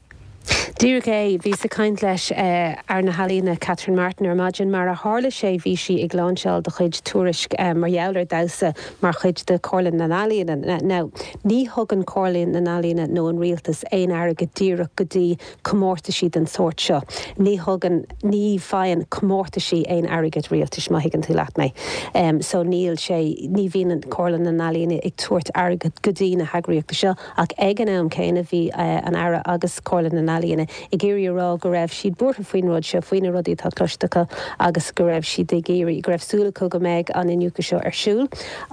Díreach é bhíos ag caint leis uh, Aire na hEalaíon Catherine Martin ar maidin mar a tharla sé bhí sí ag lainseáil de chuid tuairisc um, mar gheall ar damhsa mar chuid de Chomhairle na nEalaíon. Now, ní thugann Comhairle na nEalaíon nó an rialtas aon airgead díreach go dtí comórtaisí den sórt seo. Ní thugann ní faigheann comórtaisí aon airgead rialtais má thuigeann tú leat mé. Um, so níl sé ní bhíonn Comhairle na nEalaíon ag tabhairt airgead go dtí na heagraíochtaí seo ach ag an am céanna bhí uh, an Aire agus Comhairle na nEalaíon ag iarraidh a rá go raibh siad buartha faoin rud seo faoi na rudaí atá cloiste acu agus go raibh siad ag iarraidh go raibh súil acu go mbeidh an iniúchadh seo ar siúl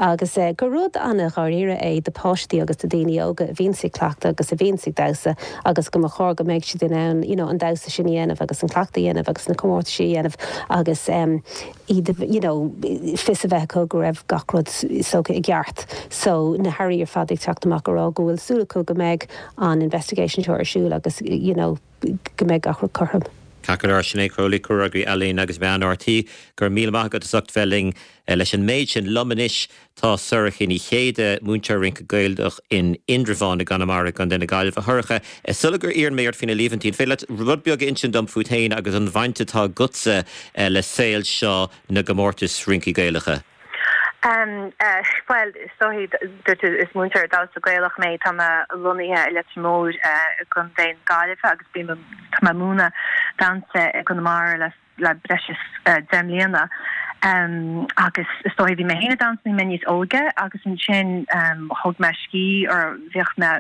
agus eh, gur rud an-dháiríre é do pháistí agus do daoine óga a bhíonn ag cleachtadh agus a bhíonn ag damhsa agus go mba chóir go mbeidh siad in ann you know, an damhsa sin a dhéanamh agus an cleachtadh a dhéanamh agus na comórtaisí a dhéanamh agus um, iad you know, fios a bheith acu go raibh gach rud socraithe i gceart. So na hairí ar fad ag teacht amach ag rá go bhfuil súil acu go mbeidh an investigation seo ar siúl agus you know, go mbeidh gach rud cothrom. Ceart go leor, Sinéad Crowley, Comhfhreagraí Ealaíon agus Meán RTÉ, go raibh míle maith agat as ucht bheith linn leis an méid sin. Liom anois tá Sorcha Ní Chéide, múinteoir rince Gaelach in Indreabhán i gConamara i gContae na Gaillimhe. A Shorcha, sula iarrann mé ort faoi na líomhaintí, an féidir leat rud beag a insint dom fút féin agus an bhaint atá agatsa le saol seo na gcomórtas rincí Gaelacha? Um, uh, well, so is múinteoir damhsa Gaelach mé tá mé lonnaithe i Leitir Móir uh, gContae na Gaillimhe agus bí tá mé múineadh damhsa i gConamara le le breis is uh, deich mbliana. Um, agus is dóigh bhí mé féin ag damhsa mé níos óige agus ansin um, thóg mé scíth or bhíoch mé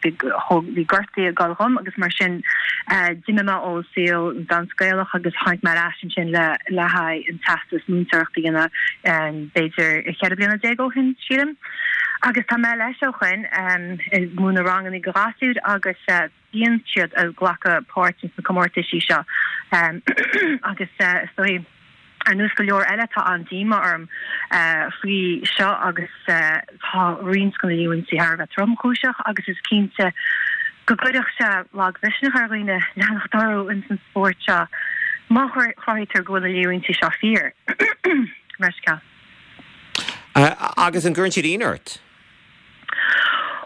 bhí gortú ag dul dhom agus mar sin uh, d'imigh mé ó saol an damhsa Gaelach agus tháinig mé ar ais ansin le le haghaidh an teastas múinteoireachta a dhéanamh um, b'fhéidir ceithre bliana déag ó shin sílim. Agus tá mé leis ó shin um, múineadh ranganna do ghasúir agus uh, bíonn siad ag glacadh páirt sna comórtaisí seo um, agus uh, is dóigh ar nós go leor eile tá an díomá orm uh, faoi seo agus uh, tá roinnt de na líomhaintí thar a bheith tromchúiseach agus is cinnte go gcuirfeadh sé lagmhisneach ar dhaoine leanacht orthu in san spórt seo má chruthaítear go bhfuil na líomhaintí seo fíor. Meisceal. Uh, agus an gcuireann siad ionadh ort?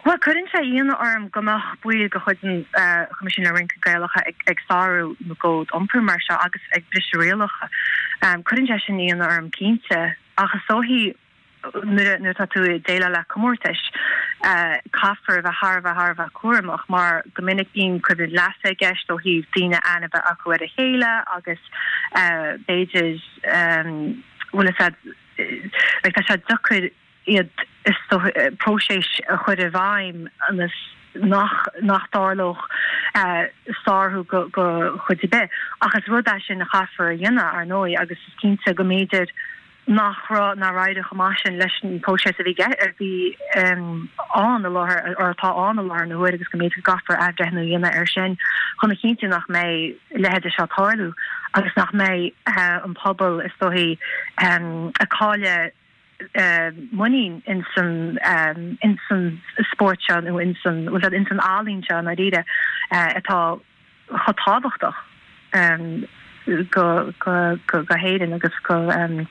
Well cuireann sé ionadh orm go mbeadh baill de chuid an Choimisiún le Rince Gaelach ag, ag sárú na gcód iompair mar seo agus ag briseadh rialacha. Um, cuireann sé sin ionadh orm cinnte ach is dóigh nuair nuair atá tú ag déileáil le comórtais uh, caithfear a bheith thar a bheith thar a bheith cúramach mar go minic bíonn coimhlint leasa i gceist ó thaobh daoine aithne a bheith acu ar a chéile agus uh, b'fhéidir um, bhfuil a like, tá sé deacair iad is próiseas a chur i bhfeidhm ionas nach nach dtarlódh uh, sárú go go chuid ar bith ach is rud é sin a chaithfear a dhéanamh ar ndóigh agus is cinnte go mb'fhéidir nach raibh nach raibh chomh maith sin leis an próiseas a bhí a bhí um, ann i láthair or atá ann i láthair na huaire agus go mb'fhéidir go gcaithfear athbhreithniú a dhéanamh ar sin chun a chinntiú nach mbeidh leithéid seo ag tarlú agus nach mbeidh uh, an pobal is dóigh um, ag cailleadh uh, muinín in san um, in san spórt seo nó in san in san ealaín seo na uh, atá chomh tábhachtach um, go go go go hÉirinn agus go um,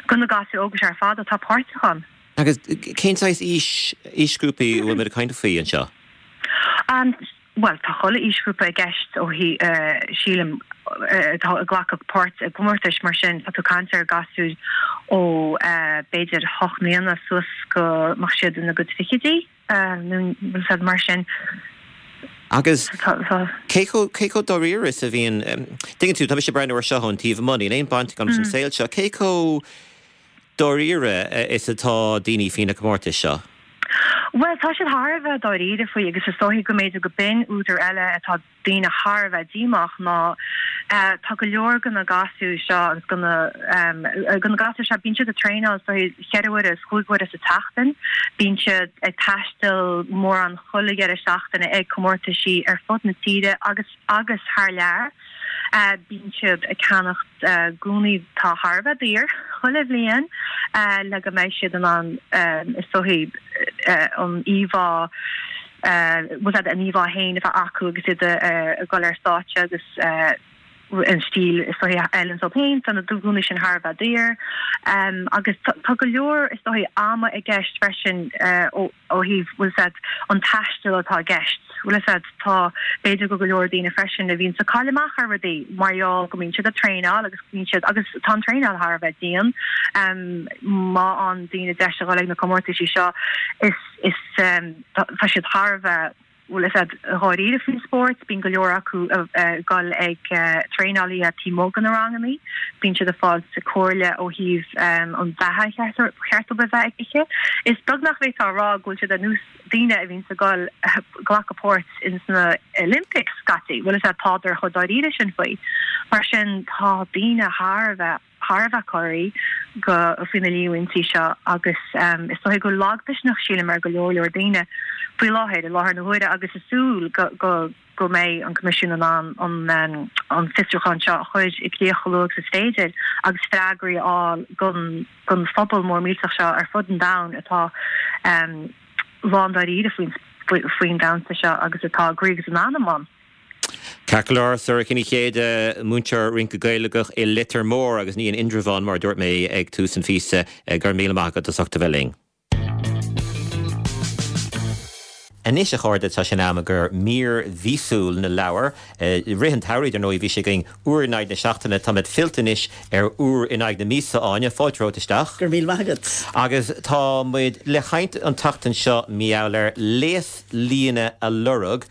go na gasúir óga ar fad atá páirteach ann. Agus cén saghas aois aoisghrúpaí bhfuil muid ag caint faoi anseo? Um, well tá chuile aoisghrúpa i gceist ó hi uh, sílim uh, ag glacadh páirt i gcomórtais mar sin tá tú ag caint ar gasúir ó uh, b'fhéidir hocht mbliana suas go mbeadh siad ina gcuid fichidí uh, mar sin. Agus cé chomh dáiríre is a bhíonn tuigeann tú tá mise ag breathnú air seo ón taobh amuigh, níl aon bhaint agam leis an saol seo, cé chomh dáiríre is atá daoine faoi na comórtais seo? Well tá siad thar a bheith dáiríre faoi agus is dóigh go mb'fhéidir go b'in údar eile atá daoine thar a bheith díomách ná uh, tá go leor de na gasúir seo agus de na um, de na gasúir seo bíonn siad ag traenáil so ceithre huaire is cúig huaire sa tseachtain, bíonn siad ag taisteal mórán chuile dheireadh seachtaine ag comórtaisí ar fud na tíre agus agus thar lear. Uh, bíonn siad ag ceannacht uh, gúnaí atá thar a bheith daor chuile bhliain uh, le go mbeidh siad an an um, is dóigh uh, an íomhá uh, an íomhá féin a bheith acu agus iad uh, ag dul ar stáitse agus uh, an stíl is dóigh a fheileann dóibh féin tá na gúnaí sin thar a bheith daor um, agus tá go leor is dóigh ama i gceist freisin uh, ó thaobh bhfuil an taisteal atá i gceist. Bhfuil tá b'fhéidir go go leor daoine freisin a bhíonn ag cailleadh amach ar rudaí mar gheall go mbíonn siad ag traenáil agus bíonn siad agus tá an traenáil thar a bheith dian um, má an daoine deis a ag na comórtaisí seo is is um, tá siad thar a bheith bhfuil a fhios agat dáiríre faoin spórt, bíonn go leor acu ag dul ag traenálaí taobh amuigh de na ranganna, bíonn siad ag fáil comhairle ó thaobh an bheatha cheart a bheith ag ithe. Is beagnach bheifeá ag rá go bhfuil siad ar nós daoine a bhíonn ag dul glacadh páirt in sna Olympics scaití, bhfuil a fhios agat tádar chomh dáiríre sin faoi. Mar sin tá daoine thar a bheith thar a bheith corraithe go faoi na líomhaintí seo agus um, is dóigh gur lagmhisneach sílim ar go leor leor daoine faoi láthair i láthair na huaire agus ag súil go, go, go mbeidh an Coimisiún an an an, an fiosrúchán seo a chur i gcrích chomh luath is féidir agus freagraí a fháil don don phobal mór millteach seo ar fud an domhain atá um, lándáiríre faoin faoin damhsa seo agus atá groí agus in anam ann. Ceart go leor, Sorcha Ní Chéide, múinteoir rince Gaelach i Leitir Móir agus ní in Indreabhán mar dúirt mé ag tús an phíosa. Go raibh míle maith agat as ucht a bheith linn. Anois a chairde tá sé in am i gcomhair mír mhíosúil na leabhar. I rith an tsamhraidh, dar ndóigh, bhí sé againn uair in aghaidh na seachtaine. Táimid fillte anois ar uair in aghaidh na míosa, Áine. Fáilte romhat isteach. Go raibh míle maith agat. Agus tá muid le caint an tseachtain seo mar gheall ar Léaslíne a Lorg,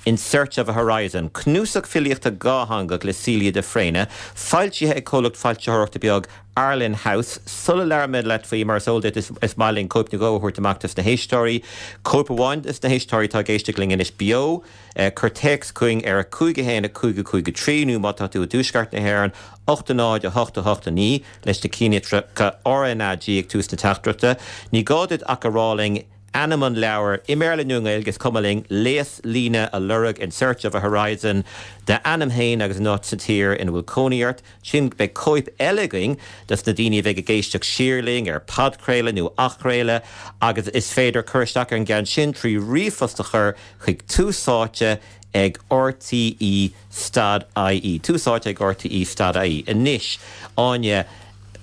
In Search of a Horizon, cnuasach filíochta dhátheangach le Celia de Fréine, foilsithe ag comhlacht foilsitheoireachta beag Arlen House. Sula labhraímid leat faoi, mar is eol duit, is maith linn cóip nó dhó a thabhairt amach dos na héisteoirí. Cóip amháin dos na héisteoirí atá ag éisteacht linn anois beo. Cuir téacs chugainn ar a cúig a haon a cúig a cúig a trí nó má tá tú i dtuaisceart na hÉireann, ocht a náid a hocht a hocht a naoi leis na cinnlitreacha RnaG ag tús na teachtaireachta. Ní gá duit ach a rá linn ainm an leabhair, i mBéarla nó i nGaeilge, is cuma linn, Léaslíne a Lorg, In Search of a Horizon, d'ainm féin agus an áit sa tír ina bhfuil cónaí ort. Ansin beidh cóip eile againn dos na daoine a bheidh ag éisteacht siar linn ar podchraoladh nó athchraoladh agus is féidir cur isteach ar an gceann sin trí ríomhphost a chur chuig Tús Áite ag rte stad ie. Tús Áite ag rte stad ie. Anois, Áine,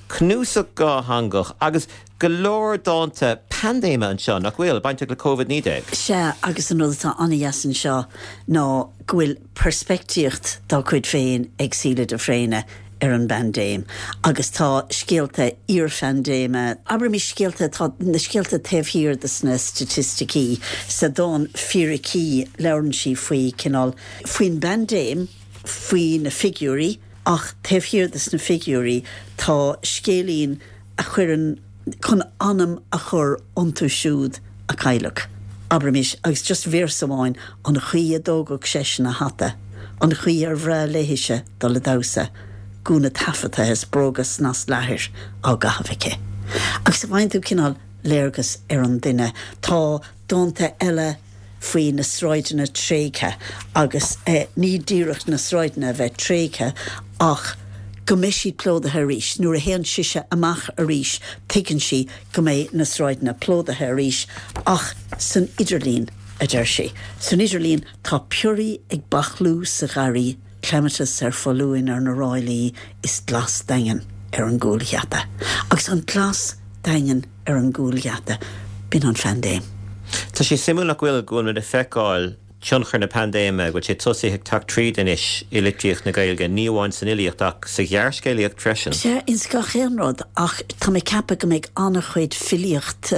cnuasach dhátheangach agus go leor dánta paindéime anseo, nach bhfuil, bainteach le Covid naoi déag? Sea, agus an rud atá an-dheas anseo ná go bhfuil peirspictíocht dá cuid féin ag Síle de Fréine ar an bpaindéim agus tá scéalta iarphaindéime, abraimis scéalta atá, na scéalta taobh thiar de sna staitisticí. Sa dán 'Fíricí' labhrann sí faoi cineál, faoin bpaindéim, faoi na figiúirí, Ach taobh thiar de sna figiúirí tá scéilín a chuireann chun anam a chur iontu siúd a cailleadh. Abraimis, agus just véarsa amháin, an chaoi a dtógadh seisean a hata, an chaoi ar bhreá léithise dul a damhsa, gúna taifeadta is bróga snas leathair á gcaitheamh aici. Agus faigheann tú cineál léargas ar an duine. Tá dánta eile. faoi na sráideanna tréigthe agus ní díreach na sráideanna a bheith tréigthe ach go mbeidh siad plódaithe arís. Nuair a théann sise amach arís tuigeann sí go mbeidh na sráideanna plódaithe arís ach san idirlíon, a deir sí. San idirlíon tá pioraí ag bachlú sa gharraí, clematis ar foluain ar na ráillí is glas daingean ar an gcúlgheata. Agus an glas daingean ar an gcúlgheata, b'in an phaindéim. Tá sé suimiúil nach bhfuil, go bhfuil muid ag feiceáil tionchar na paindéime, go bhfuil sé tosaithe ag teacht tríd anois i litríocht na Gaeilge, ní amháin san fhilíocht ach sa ghearrscéalaíocht freisin. Sea, ins gach aon rud, ach tá mé ag ceapadh go mbeidh an-chuid filíocht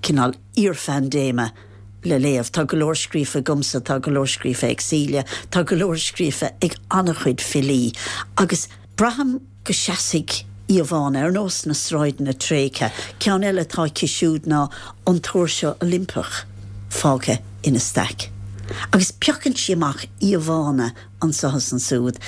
cineál iarphaindéime le léamh. Tá go leor scríofa agamsa, tá go leor scríofa ag Síle, tá go leor scríofa ag an-chuid filí agus braithim go seasfaidh íomhánna, ar nós na sráideanna tréigthe. Ceann eile atá aici siúd ná an tóirse Oilimpeach fágtha ina staic. Agus piocann sí amach íomhánna anso is ansúd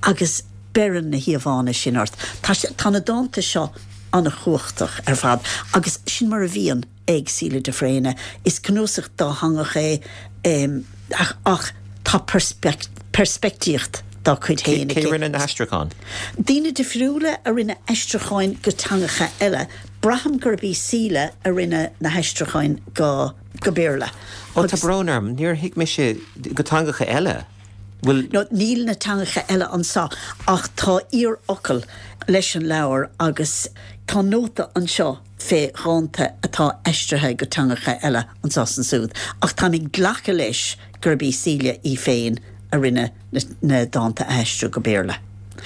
agus beireann na híomhánna sin ort. Tá, tá na dánta seo an-chumhachtach ar fad agus sin mar a bhíonn. ag Síle de Fréine. Is cnuasach dátheangach é ach tá peirspictíocht dá cuid féin aici. Cé a rinne na haistriúcháin? Daoine difriúla a rinne aistriúcháin go teangacha eile. Braithim gurb í Síle a rinne na haistriúcháin go Béarla. Ó, tá brón orm, níor thuig mise go teangacha eile. Bhfuil. No, níl na teangacha eile anseo ach tá iarfhocal leis an leabhar agus tá nóta anseo fé dhánta atá aistrithe go teangacha eile anso is ansúd. Ach táim ag glacadh leis gurb í Síle í féin a rinne na dánta a aistriú go Béarla.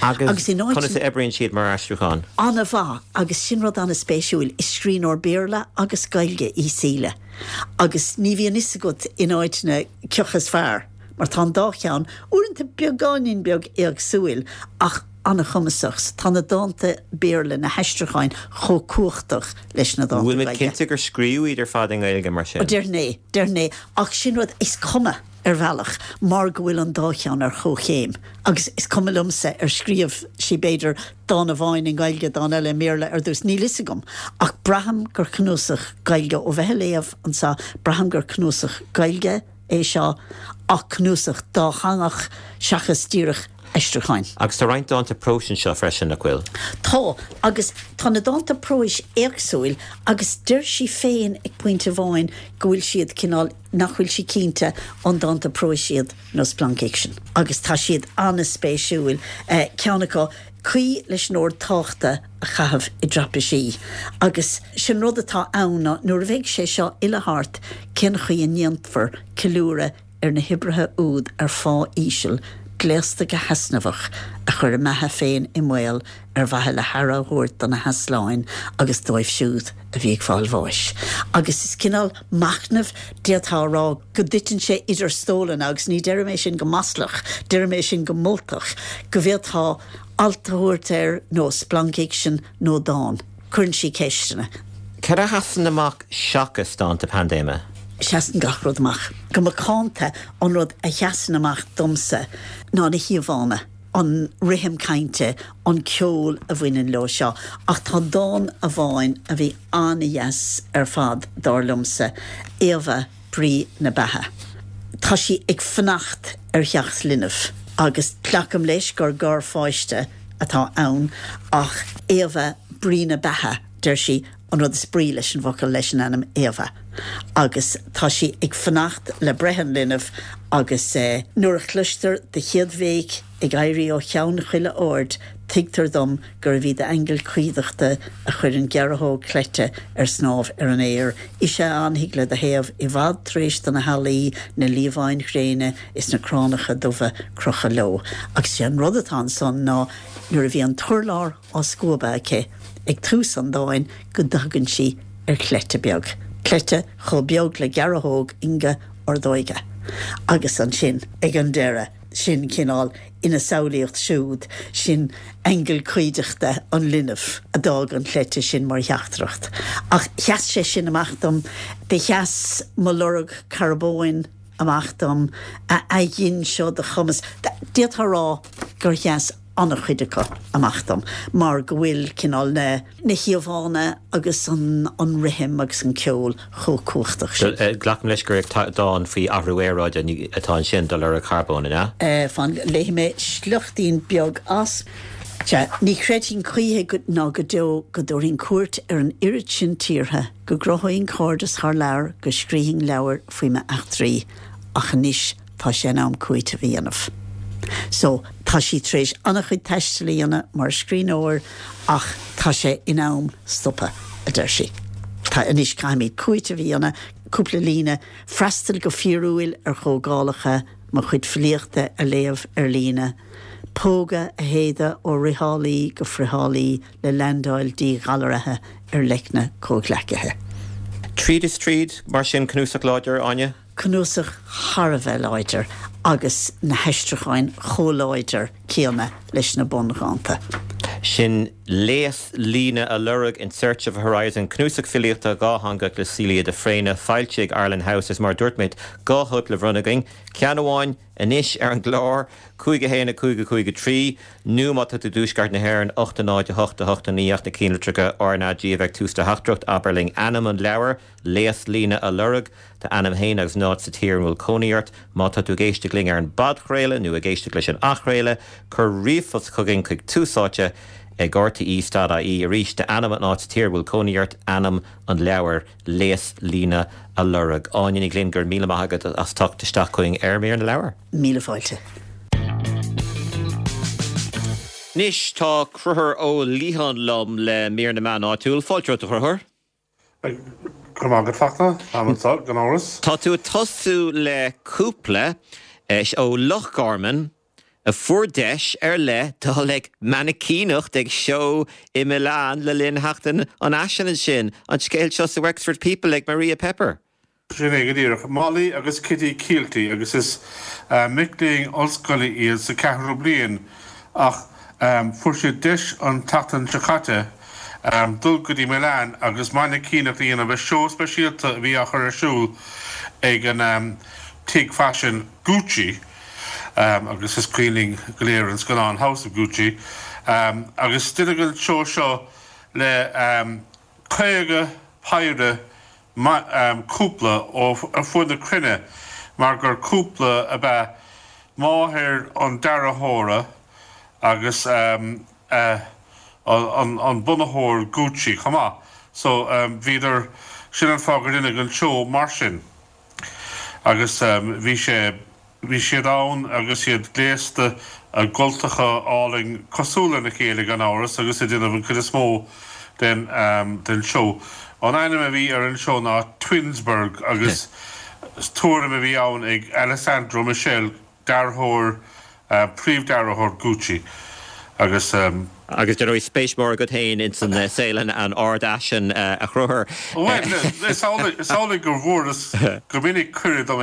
Agus conas a oibríonn siad mar aistriúchán? An-mhaith, agus sin rud an-spéisiúil, is scríbhneoir Béarla agus Gaeilge í Síle agus ní bhíonn fhios agat in áiteanna cioca is fearr. Mar tá an dá cheann, uaireanta beagáinín beag éagsúil, ach an-chumasach. So tá na dánta Béarla, na haistriúcháin, chomh cumhachtach leis na dánta Bhfuil muid Gaeilge. cinnte gur scríobhadh iad ar fad i nGaeilge, mar sin? Ó, déarfainn é, déarfainn é. Ach sin rud, is cuma, ar bhealach, mar go bhfuil an dá cheann ar chomhchéim. Agus is cuma liomsa ar scríobh sí, b'fhéidir, dán amháin i nGaeilge, dán eile i mBéarla ar dtús, níl fhios agam. Ach braithim gur cnuasach Gaeilge, ó bheith a léamh anso, braithim gur cnuasach Gaeilge, é seo ach cnuasach dátheangach seachas díreach aistriúcháin. Agus tá roinnt dánta próis anseo freisin, nach bhfuil? Tá, agus tá na dánta próis éagsúil agus deir sí féin ag pointe amháin go bhfuil siad cineál, nach bhfuil sí cinnte an dánta próis iad nó splancfhicsean. Agus tá siad an-spéisiúil, ceann acu, Caoi leis an ord táchta a chaitheamh i dtraipisí. Agus sin rud atá ann ná nuair a bheidh sé seo uile thart cén chaoi a ndéanfar ceiliúradh ar na hoibrithe úd ar phá íseal, gléasta go heasnamhach, a chuir a mbeatha féin i mbaol ar mhaithe le haire a thabhairt do na heasláin agus dóibh siúd a bhí ag fáil bháis. Agus is cineál machnaimh, d'fhéadfá a rá, go dtiteann sé idir stólanna, agus ní deirim é sin go maslach, deirim é sin go moltach, go bhféadfá alt a thabhairt air nó splancfhicsean nó dán. Cuireann sí ceisteanna. Cad a sheasann amach seachas dánta paindéime? Seasann gach rud amach. Go macánta, an rud a sheasann amach domsa ná na híomhánna, an rithim cainte, an ceol a bhaineann leo seo. Ach tá dán amháin a bhí an-dheas ar fad, dar liomsa, Éabha, Brí na Beatha. Tá sí ag fanacht ar theacht linbh agus glacaim leis gur garpháiste atá ann ach Éabha, Brí na Beatha, deir sí, an rud is brí leis an bhfocal leis an ainm Éabha agus tá sí ag fanacht le breith an linbh agus nuair a chloistear do chéad bhéic ag éirí ó cheann chuile aird tuigtear dom gurbh í d'aingeal cuideachta a chuir an ghearrthóg chleite ar snámh ar an aer. Ise a fhanfaidh le do thaobh i bhfad tar éis do na healaí, na liamháin ghréine is na cránacha dubha crochadh leo. Agus sé an rud atá ansan ná nuair a bhí an t-urlár á scuabadh aici, ag tús an dáin go dtagann sí ar chleite beag, cleite chomh beag le gearrthóg inge ordóige. Agus ansin, ag an deireadh, sin cineál ina samhlaíocht siúd, sin aingeal cuideachta an linbh a d'fhág an chleite sin mar theachtaireacht. Ach sheas sé sin amach dom. Do sheas Mo Lorg Carbóin amach dom, a ghin seo do chumas. D'fhéadfá a rá gur sheas an-chuid acu amach dom mar go bhfuil cineál na na híomhánna agus an an rithim agus an ceol chomh cumhachtach sin. Glacaim leis gur dán faoi athrú aeráide atá ansin, Do Lorg Carbóin, an ea? Fan, léifidh mé sliochtín beag as. Sea, ní chreidfinn choíche ná go deo go dtabharfainn cuairt ar an oiread sin tíortha, go gcruthóinn cairdeas thar lear, go scríobhainn leabhair faoi m'eachtraí, ach anois tá sé in am cúiteamh a dhéanamh. So, tá sí tar éis an-chuid taistil a dhéanamh mar scríbhneoir ach tá sé in am stopadh, a deir sí. Tá, anois caithfimid cúiteamh a dhéanamh, cúpla líne, freastal go fíorúil ar chomhdhálacha, mo chuid filíochta a léamh ar líne, póga a shéideadh ó fhriothálaí go friothálaí le leaindeáil díghalraithe ar leicne comhghleacaithe. Tríd is tríd, mar sin, cnuasach láidir, Áine? Cnuasach thar a bheith láidir agus na haistriúcháin chomh láidir céanna leis na bundhánta. Sin Léas Líne a Lorg, In Search of a Horizon, cnuasach filíochta dhátheangach le Celia de Fréine, foilsithe ag Arlen House. Is mar a dúirt mé, dhá chóip le bronnadh againn, ceann amháin anois ar an gclár, cúig a haon a cúig a cúig a trí, nó má tá tú i dtuaisceart na hÉireann, ocht a náid a hocht a hocht a naoi ach na cinnlitreacha RnaG a bheith ag tús do theachtaireacht, abair linn ainm an leabhair, Léas Líne a Lorg, d'ainm féin agus an áit sa tír ina bhfuil cónaí ort. Má tá tú ag éisteacht linn ar an bpodchraoladh nó ag éisteacht leis an athchraoladh, cuir ríomhphost chugainn chuig Tús Áite ag rte stad ie. Arís, d'ainm, an áit sa tír a bhfuil cónaí ort, ainm an leabhair, Léas Líne a Lorg. Áine Ní Ghlinn, go raibh míle maith agat as teacht isteach chugainn ar Mír na Leabhar. Míle fáilte. Anois tá Conchúr Ó Liatháin liom le Mír na Meán Áitiúil. Fáilte romhat, a Chonchúir. Go raibh maith agat, Fachtna. Táim anseo, gan amhras. Tá tú ag tosú le cúpla ó Loch Garman a fuair deis ar leith dul ag mainicíneacht ag seó i Milan le linn Sheachtain an Fhaisin ansin. An scéal seo sa Wexford People ag Maria Pepper. Sin é go díreach. Molly agus Kitty Kielty agus is mic léinn ollscoile iad sa ceathrú bliain ach fuair siad deis an tseachtain seo caite dul go dtí Milan agus mainicíneacht a dhéanamh i seó speisialta a bhí á chur ar siúl ag an tigh faisin Gucci agus is cuimhin linn go léir an scannán House of Gucci agus deineadh an seó seo le caoga péire cúpla ó ar fud na cruinne mar gur cúpla ab ea máthair an dearthóra agus an bunaitheoir Gucci chomh maith. So bhíodar, sin an fáth gur deineadh an seó mar sin. Agus bhí sé, bhí siad ann agus iad gléasta i gcultacha álainn cosúil lena chéile gan amhras agus ag déanamh an chuid is mó den den seó. An ainm a bhí ar an seó ná Twinsburg agus tuairim a bhí ann ag Alessandro Michele, dearthóir, príomhdhearthóir Gucci agus. Agus dar ndóigh spéis mhór agat féin ins an saol an ardfhaisin, a Chonchúir. Bhuel, is amhlaidh go bhfuaireas go minic cuireadh dom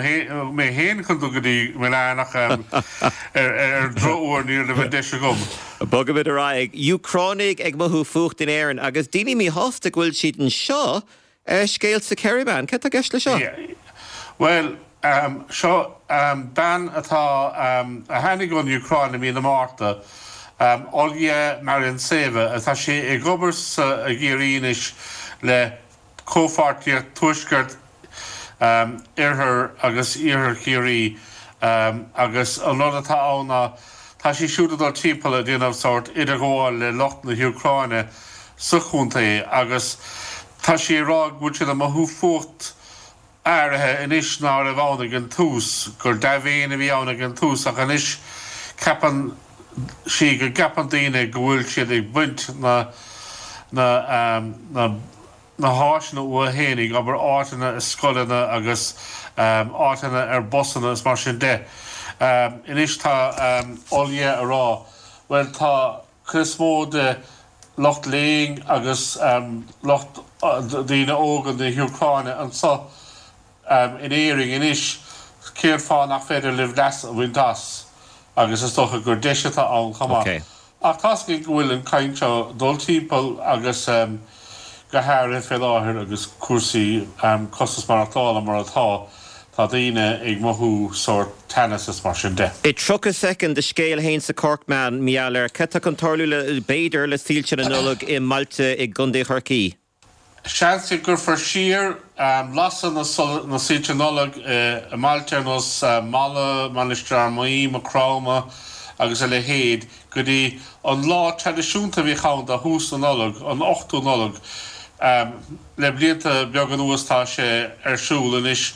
mé féin chun dul go dtí Milan ach ar an drochuair ní raibh an deis agam. Bogaimid ar aghaidh. Úcránaigh ag mothú fuacht in Éirinn agus daoine míshásta go bhfuil siad anseo, scéal sa Kerryman. Cad tá i gceist le seo? Bhuel, seo bean atá, a tháinig ón Úcráin i mí na Márta, Olya Marintseva, atá sí ag obair sa i gCiarraí anois le Comhpháirtíocht Tuaisceart Oirthear agus Iarthar Chiarraí agus an rud atá ann ná tá sí siúd ag dul timpeall ag déanamh sórt idirghabháil le lucht na hÚcráine sa chontae agus tá sí ag rá go bhfuil siad ag mothú fuacht áirithe anois ná raibh ann ag an tús, gur dea-mhéin a bhí ann ag an tús ach anois ceapann sí go gceapann daoine go bhfuil siad ag baint na na na na háiteanna uathu fhéinig, abair áiteanna i scoileanna agus áiteanna ar busanna is mar sin de. Anois tá Olya ag rá, bhuel tá cuid is mó de lucht léinn agus lucht daoine óga na hÚcráine anseo in Éirinn anois, cén fáth nach féidir libh leas a bhaint as? Agus is dócha gur deis atá ann chomh maith. Ach tá's againn go bhfuil an chaint seo ag dul timpeall agus go háirithe fé láthair agus cúrsaí costas maireachtála mar atá, Tá daoine ag mothú sórt teannas is mar sin de. I tríocha soicind do scéal fhéin sa Corkman, mar gheall ar cad tá chun tarlú le, b'fhéidir, le soilse na Nollag i mbailte i gContae Chorcaí. Seans go gcuirfear siar lasadh na soilse Nollag i mbailte ar nós Mala, Mainistir Fhear Maí, Maigh Chromtha agus a leithéid go dtí an lá traidisiúnta a bhíodh ann do thús na Nollag, an ochtú Nollaig. Le blianta beaga anuas tá sé ar siúl anois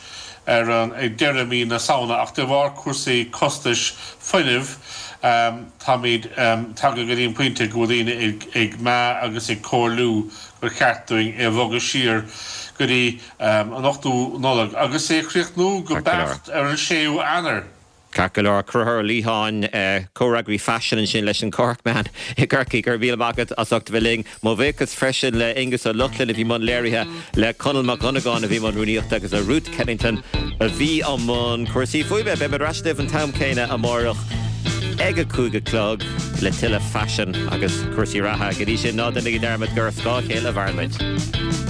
ar an ag deireadh mí na Samhna ach de bharr cúrsaí costais fuinnimh táimid tagtha go dtí an pointe go bhfuil daoine ag ag meá agus ag comhairliú gur cheart dúinn é a bhogadh siar go dtí an ochtú Nollaig agus é a chríochnú go beacht ar an séú Eanáir. Ceart go leor, Conchúr Ó Liatháin, comhfhreagraí faisin ansin leis an Corkman i gCorcaigh. Go raibh míle maith agat as ucht a bheith linn. Mo bhuíochas freisin le Aonghus Ó Lochlainn a bhí i mbun léirithe, le Conall Mac Dhonnagáin a bhí i mbun rúnaíochta agus le Ruth Kennington a bhí i mbun cúrsaí fuaime. Beidh mé ar ais libh an t-am céanna amárach ag a cúig a chlog le tuilleadh faisin agus cúrsaí reatha. Go dtí sin, ná déanaigí dearmad gur ar scáth a chéile a mhaireann muid.